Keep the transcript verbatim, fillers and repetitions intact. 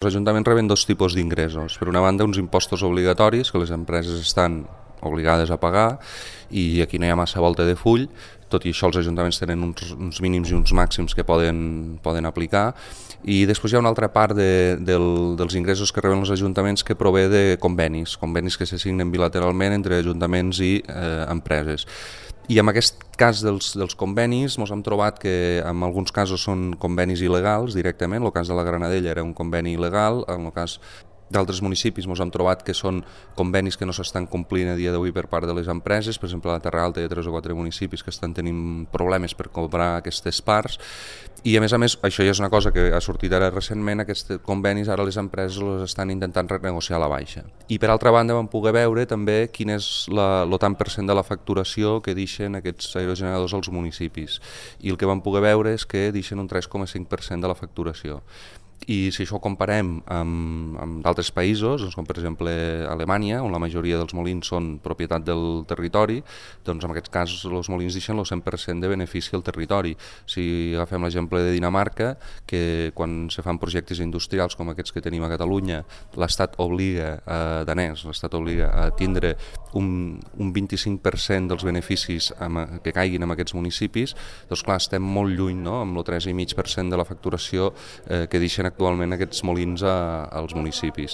Els ajuntaments reben dos tipus d'ingressos. Per una banda, uns impostos obligatoris que les empreses estan obligades a pagar i aquí no hi ha massa volta de full, tot i això els ajuntaments tenen uns, uns mínims i uns màxims que poden, poden aplicar, i després hi ha una altra part de, del, dels ingressos que reben els ajuntaments que prové de convenis, convenis que se signen bilateralment entre ajuntaments i eh, empreses. I en aquest cas dels, dels convenis ens hem trobat que en alguns casos són convenis il·legals directament. El cas de la Granadella era un conveni il·legal, en el cas d'altres municipis ens hem trobat que són convenis que no s'estan complint a dia d'avui per part de les empreses. Per exemple, a la Terra Alta hi ha tres o quatre municipis que estan tenint problemes per cobrar aquestes parts, i a més a més això ja és una cosa que ha sortit ara recentment, aquests convenis ara les empreses els estan intentant renegociar a la baixa. I per altra banda vam poder veure també quin és la, el tant per cent de la facturació que deixen aquests aerogeneradors als municipis, i el que vam poder veure és que deixen un tres coma cinc per cent de la facturació. I si això ho comparem amb, amb d'altres països, doncs com per exemple Alemanya, on la majoria dels molins són propietat del territori, doncs en aquest cas els molins deixen el cent per cent de benefici al territori. Si agafem l'exemple de Dinamarca, que quan se fan projectes industrials com aquests que tenim a Catalunya, l'Estat obliga, a danès, l'Estat obliga a tindre un, un vint-i-cinc per cent dels beneficis amb, que caiguin en aquests municipis, doncs clar, estem molt lluny, no?, amb el tres coma cinc per cent de la facturació eh, que deixen actualment aquests molins a, als municipis.